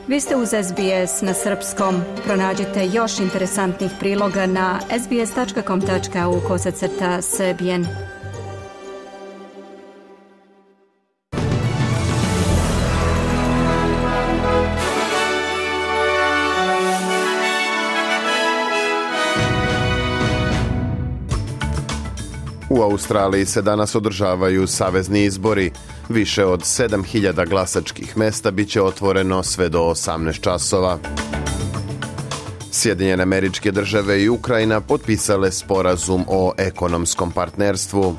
Vi ste uz SBS na srpskom. Pronađite još interesantnih priloga na sbs.com.au/srbijen. U Australiji se danas održavaju savezni izbori. Više od 7.000 glasačkih mesta biće otvoreno sve do 18 časova. Sjedinjene Američke Države i Ukrajina potpisale sporazum o ekonomskom partnerstvu.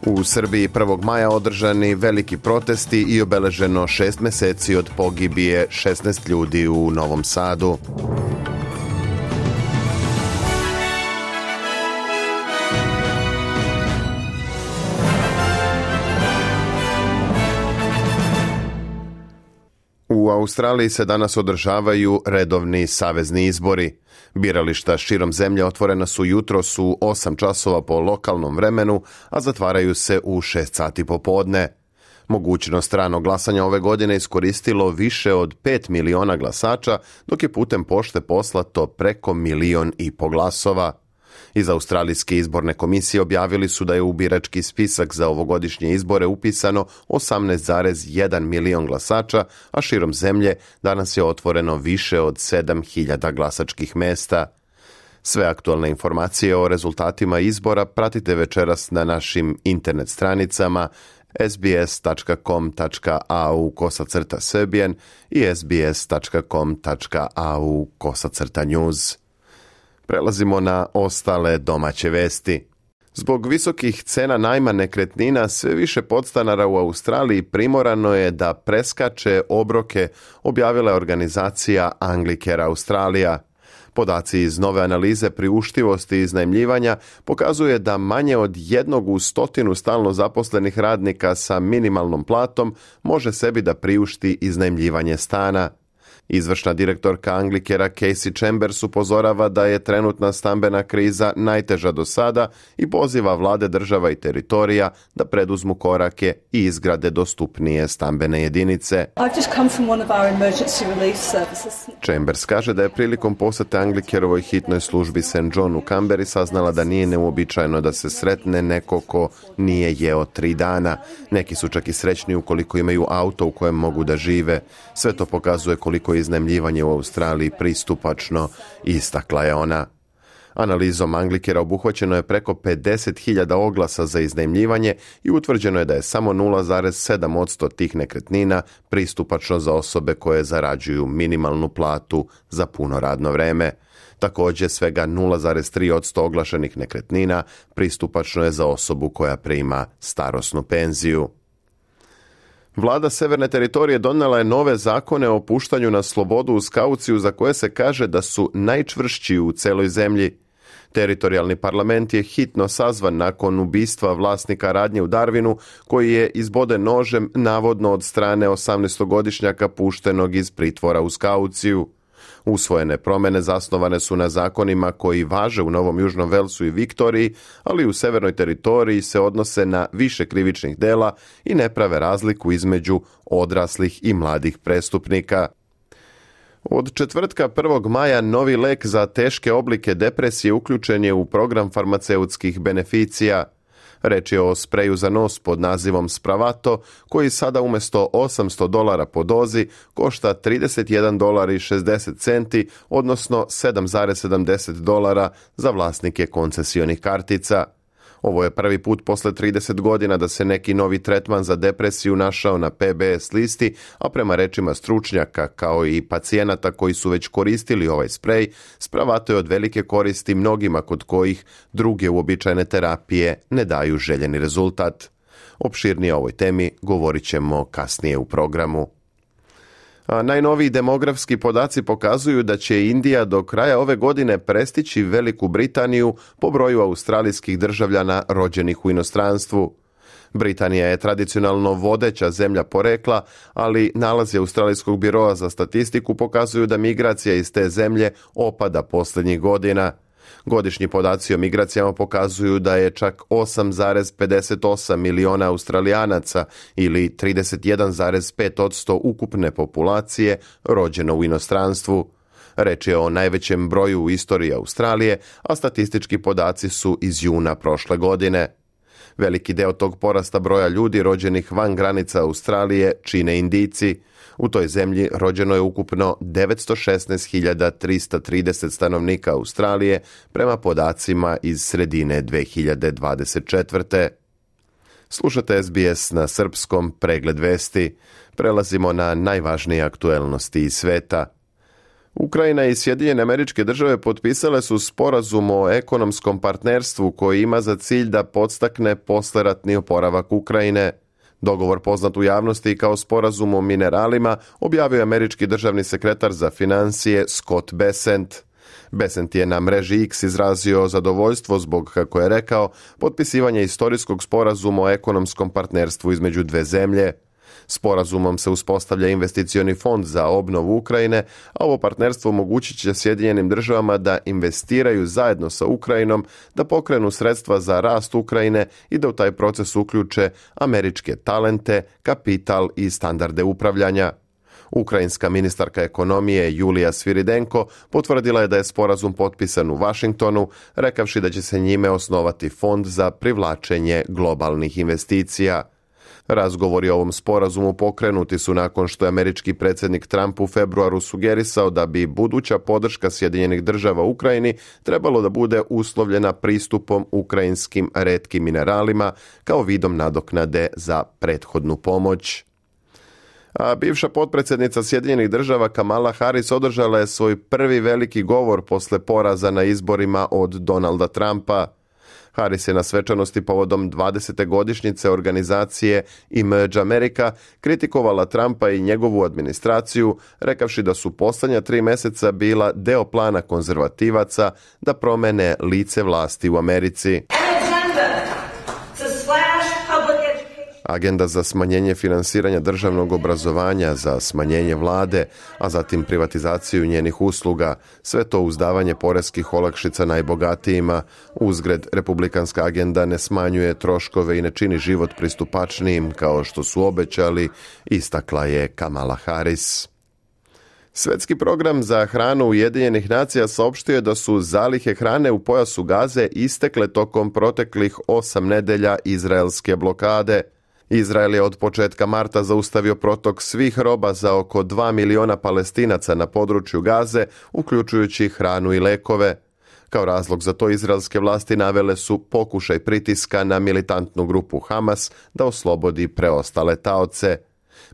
U Srbiji 1. maja održani veliki protesti i obeleženo 6 meseci od pogibije 16 ljudi u Novom Sadu. U Australiji se danas održavaju redovni savezni izbori. Birališta širom zemlje otvorena su jutros u 8 časova po lokalnom vremenu, a zatvaraju se u 6 sati popodne. Mogućnost ranog glasanja ove godine iskoristilo više od 5 miliona glasača, dok je putem pošte poslato preko 1,5 miliona glasova. Iz Australijske izborne komisije objavili su da je u birački spisak za ovogodišnje izbore upisano 18,1 milion glasača, a širom zemlje danas je otvoreno više od 7.000 glasačkih mesta. Sve aktualne informacije o rezultatima izbora pratite večeras na našim internet stranicama sbs.com.au/srbijen i sbs.com.au/news. Prelazimo na ostale domaće vesti. Zbog visokih cena najma nekretnina, sve više podstanara u Australiji primorano je da preskače obroke, objavila je organizacija Anglicare Australija. Podaci iz nove analize priuštivosti iznajmljivanja pokazuje da manje od 1 u 100 stalno zaposlenih radnika sa minimalnom platom može sebi da priušti iznajmljivanje stana. Izvršna direktorka Anglicarea Casey Chambers upozorava da je trenutna stambena kriza najteža do sada i poziva vlade država i teritorija da preduzmu korake i izgrade dostupnije stambene jedinice. Chambers kaže da je prilikom posete Anglicarovoj hitnoj službi St. John u Canberri saznala da nije neuobičajeno da se sretne neko ko nije jeo 3 dana. Neki su čak i srećni ukoliko imaju auto u kojem mogu da žive. Sve to pokazuje koliko je iznajmljivanje u Australiji pristupačno, istakla je ona. Analizom Anglicarea obuhvaćeno je preko 50.000 oglasa za iznajmljivanje i utvrđeno je da je samo 0,7% tih nekretnina pristupačno za osobe koje zarađuju minimalnu platu za puno radno vreme. Također, svega 0,3% oglašenih nekretnina pristupačno je za osobu koja prima starosnu penziju. Vlada Severne teritorije donijela je nove zakone o puštanju na slobodu uz kauciju za koje se kaže da su najčvršći u celoj zemlji. Teritorijalni parlament je hitno sazvan nakon ubistva vlasnika radnje u Darwinu, koji je izboden nožem navodno od strane 18-godišnjaka puštenog iz pritvora uz kauciju. Usvojene promjene zasnovane su na zakonima koji važe u Novom Južnom Velsu i Viktoriji, ali u Severnoj teritoriji se odnose na više krivičnih dela i ne prave razliku između odraslih i mladih prestupnika. Od četvrtka 1. maja novi lek za teške oblike depresije uključen je u program farmaceutskih beneficija. Reč je o spreju za nos pod nazivom Spravato, koji sada umjesto $800 po dozi košta $31.60, odnosno $7,70 za vlasnike koncesionih kartica. Ovo je prvi put posle 30 godina da se neki novi tretman za depresiju našao na PBS listi, a prema rečima stručnjaka kao i pacijenata koji su već koristili ovaj sprej, Spravato je od velike koristi mnogima kod kojih druge uobičajene terapije ne daju željeni rezultat. Opširnije o ovoj temi govorit ćemo kasnije u programu. A najnoviji demografski podaci pokazuju da će Indija do kraja ove godine prestići Veliku Britaniju po broju australijskih državljana rođenih u inostranstvu. Britanija je tradicionalno vodeća zemlja porekla, ali nalazi Australijskog biroa za statistiku pokazuju da migracija iz te zemlje opada posljednjih godina. Godišnji podaci o migracijama pokazuju da je čak 8,58 miliona Australijanaca ili 31,5% ukupne populacije rođeno u inostranstvu. Reč je o najvećem broju u istoriji Australije, a statistički podaci su iz juna prošle godine. Veliki deo tog porasta broja ljudi rođenih van granica Australije čine Indijci. U toj zemlji rođeno je ukupno 916.330 stanovnika Australije prema podacima iz sredine 2024. Slušate SBS na srpskom, pregled vesti. Prelazimo na najvažnije aktuelnosti iz sveta. Ukrajina i Sjedinjene Američke Države potpisale su sporazum o ekonomskom partnerstvu koji ima za cilj da podstakne posleratni oporavak Ukrajine. Dogovor poznat u javnosti kao sporazum o mineralima objavio je američki državni sekretar za financije Scott Bessent. Bessent je na mreži X izrazio zadovoljstvo zbog, kako je rekao, potpisivanja istorijskog sporazuma o ekonomskom partnerstvu između dve zemlje. Sporazumom se uspostavlja investicioni fond za obnovu Ukrajine, a ovo partnerstvo omogućit će Sjedinjenim državama da investiraju zajedno sa Ukrajinom, da pokrenu sredstva za rast Ukrajine i da u taj proces uključe američke talente, kapital i standarde upravljanja. Ukrajinska ministarka ekonomije Julija Sviridenko potvrdila je da je sporazum potpisan u Vašingtonu, rekavši da će se njime osnovati fond za privlačenje globalnih investicija. Razgovori o ovom sporazumu pokrenuti su nakon što je američki predsjednik Trump u februaru sugerisao da bi buduća podrška Sjedinjenih država Ukrajini trebalo da bude uslovljena pristupom ukrajinskim retkim mineralima kao vidom nadoknade za prethodnu pomoć. A bivša potpredsjednica Sjedinjenih država Kamala Harris održala je svoj prvi veliki govor posle poraza na izborima od Donalda Trumpa. Harris je na svečanosti povodom 20. godišnjice organizacije Emerge America kritikovala Trumpa i njegovu administraciju, rekavši da su posljednja 3 mjeseca bila deo plana konzervativaca da promene lice vlasti u Americi. Agenda za smanjenje finansiranja državnog obrazovanja, za smanjenje vlade, a zatim privatizaciju njenih usluga, sve to uz davanje poreskih olakšica najbogatijima. Uzgred, republikanska agenda ne smanjuje troškove i ne čini život pristupačnijim kao što su obećali, istakla je Kamala Harris. Svetski program za hranu Ujedinjenih nacija saopštio je da su zalihe hrane u pojasu Gaze istekle tokom proteklih 8 nedelja izraelske blokade. Izrael je od početka marta zaustavio protok svih roba za oko 2 miliona Palestinaca na području Gaze, uključujući hranu i lekove. Kao razlog za to izraelske vlasti navele su pokušaj pritiska na militantnu grupu Hamas da oslobodi preostale taoce.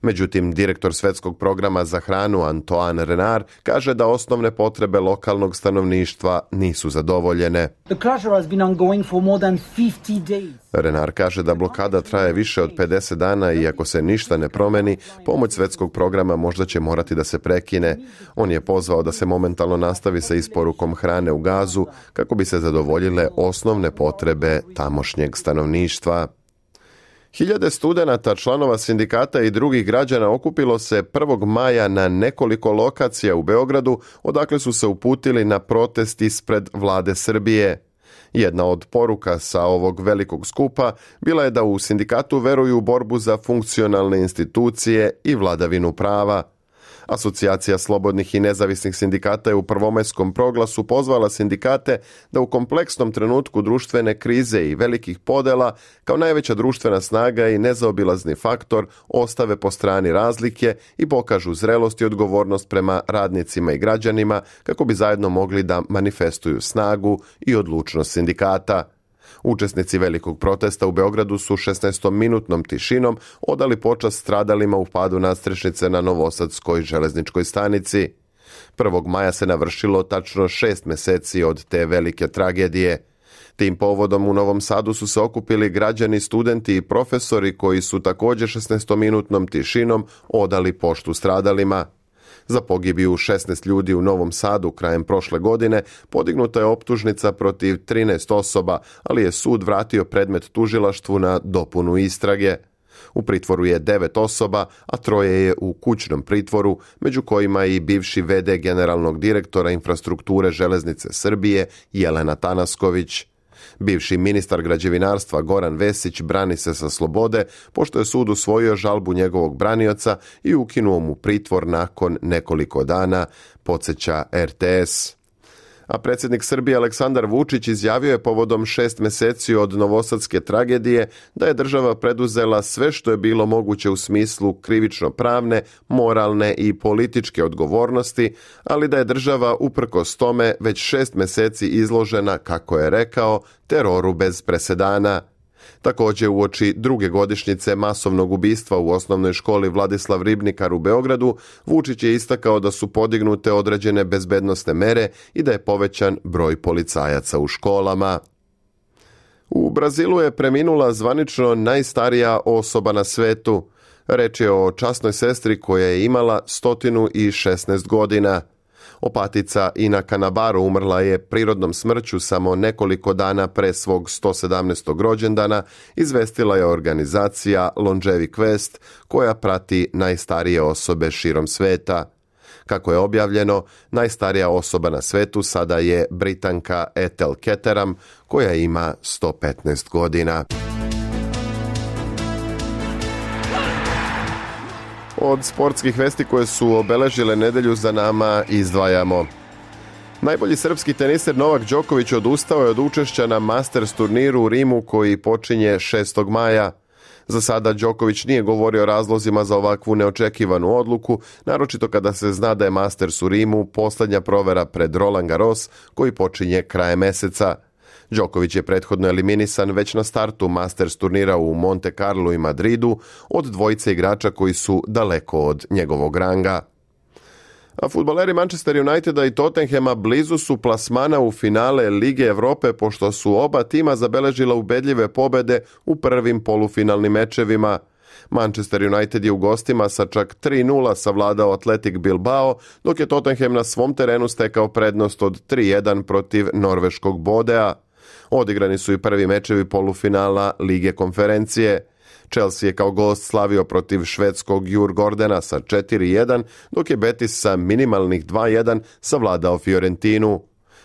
Međutim, direktor Svetskog programa za hranu Antoine Renard kaže da osnovne potrebe lokalnog stanovništva nisu zadovoljene. Renard kaže da blokada traje više od 50 dana i ako se ništa ne promeni, pomoć Svetskog programa možda će morati da se prekine. On je pozvao da se momentalno nastavi sa isporukom hrane u Gazu kako bi se zadovoljile osnovne potrebe tamošnjeg stanovništva. Hiljade studenata, članova sindikata i drugih građana okupilo se 1. maja na nekoliko lokacija u Beogradu, odakle su se uputili na protest ispred vlade Srbije. Jedna od poruka sa ovog velikog skupa bila je da u sindikatu veruju u borbu za funkcionalne institucije i vladavinu prava. Asocijacija slobodnih i nezavisnih sindikata je u prvomajskom proglasu pozvala sindikate da u kompleksnom trenutku društvene krize i velikih podela kao najveća društvena snaga i nezaobilazni faktor ostave po strani razlike i pokažu zrelost i odgovornost prema radnicima i građanima kako bi zajedno mogli da manifestuju snagu i odlučnost sindikata. Učesnici velikog protesta u Beogradu su 16-minutnom tišinom odali počast stradalima u padu nadstrešnice na Novosadskoj železničkoj stanici. 1. maja se navršilo tačno 6 meseci od te velike tragedije. Tim povodom u Novom Sadu su se okupili građani, studenti i profesori koji su također 16-minutnom tišinom odali poštu stradalima. Za pogibiju 16 ljudi u Novom Sadu krajem prošle godine podignuta je optužnica protiv 13 osoba, ali je sud vratio predmet tužilaštvu na dopunu istrage. U pritvoru je 9 osoba, a 3 je u kućnom pritvoru, među kojima i bivši v.d. generalnog direktora infrastrukture Železnice Srbije Jelena Tanasković. Bivši ministar građevinarstva Goran Vesić brani se sa slobode, pošto je sud usvojio žalbu njegovog branioca i ukinuo mu pritvor nakon nekoliko dana, podsjeća RTS. A predsjednik Srbije Aleksandar Vučić izjavio je povodom 6 mjeseci od novosadske tragedije da je država preduzela sve što je bilo moguće u smislu krivično-pravne, moralne i političke odgovornosti, ali da je država uprkos tome već 6 mjeseci izložena, kako je rekao, teroru bez presedana. Također uoči druge godišnjice masovnog ubistva u osnovnoj školi Vladislav Ribnikar u Beogradu, Vučić je istakao da su podignute određene bezbednosne mere i da je povećan broj policajaca u školama. U Brazilu je preminula zvanično najstarija osoba na svetu. Reč je o časnoj sestri koja je imala 116 godina. Opatica Ina Canabaro umrla je prirodnom smrću samo nekoliko dana pre svog 117. rođendana, izvestila je organizacija Longevi Quest, koja prati najstarije osobe širom sveta. Kako je objavljeno, najstarija osoba na svetu sada je Britanka Ethel Keteram, koja ima 115 godina. Od sportskih vesti koje su obeležile nedelju za nama izdvajamo. Najbolji srpski teniser Novak Đoković odustao je od učešća na Masters turniru u Rimu koji počinje 6. maja. Za sada Đoković nije govorio o razlozima za ovakvu neočekivanu odluku, naročito kada se zna da je Masters u Rimu posljednja provera pred Roland Garros koji počinje krajem meseca. Đoković je prethodno eliminisan već na startu Masters turnira u Monte Carlo i Madridu od dvojice igrača koji su daleko od njegovog ranga. A fudbaleri Manchester Uniteda i Tottenhama blizu su plasmana u finale Lige Evrope, pošto su oba tima zabeležila ubedljive pobede u prvim polufinalnim mečevima. Manchester United je u gostima sa čak 3-0 savladao Athletic Bilbao, dok je Tottenham na svom terenu stekao prednost od 3-1 protiv norveškog Bodea. Odigrani su i prvi mečevi polufinala Lige konferencije. Chelsea je kao gost slavio protiv švedskog Djurgårdena sa 4-1, dok je Betis sa minimalnih 2-1 savladao Fiorentinu.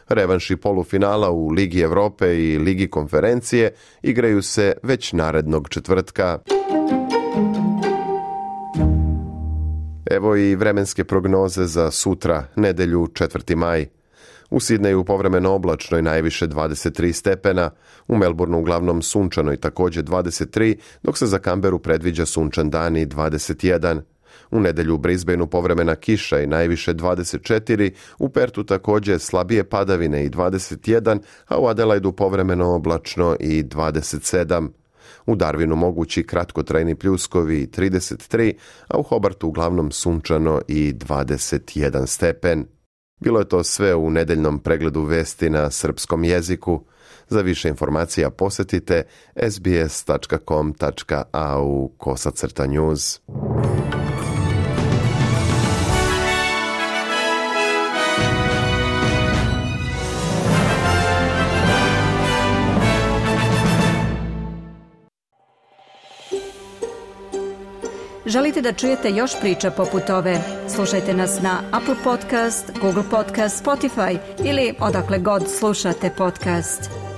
Revanši polufinala u Ligi Evrope i Ligi konferencije igraju se već narednog četvrtka. Evo i vremenske prognoze za sutra, nedelju 4. maj. U Sidneju povremeno oblačno i najviše 23 stepena, u Melbourneu uglavnom sunčano i također 23, dok se za Canberu predviđa sunčan dan i 21. U nedelju u Brisbaneu povremena kiša i najviše 24, u Pertu također slabije padavine i 21, a u Adelaidu povremeno oblačno i 27. U Darwinu mogući kratkotrajni pljuskovi 33, a u Hobartu uglavnom sunčano i 21 stepen. Bilo je to sve u nedeljnom pregledu vesti na srpskom jeziku. Za više informacija posjetite sbs.com.au/news. Želite da čujete još priča poput ove? Slušajte nas na Apple Podcast, Google Podcast, Spotify ili odakle god slušate podcast.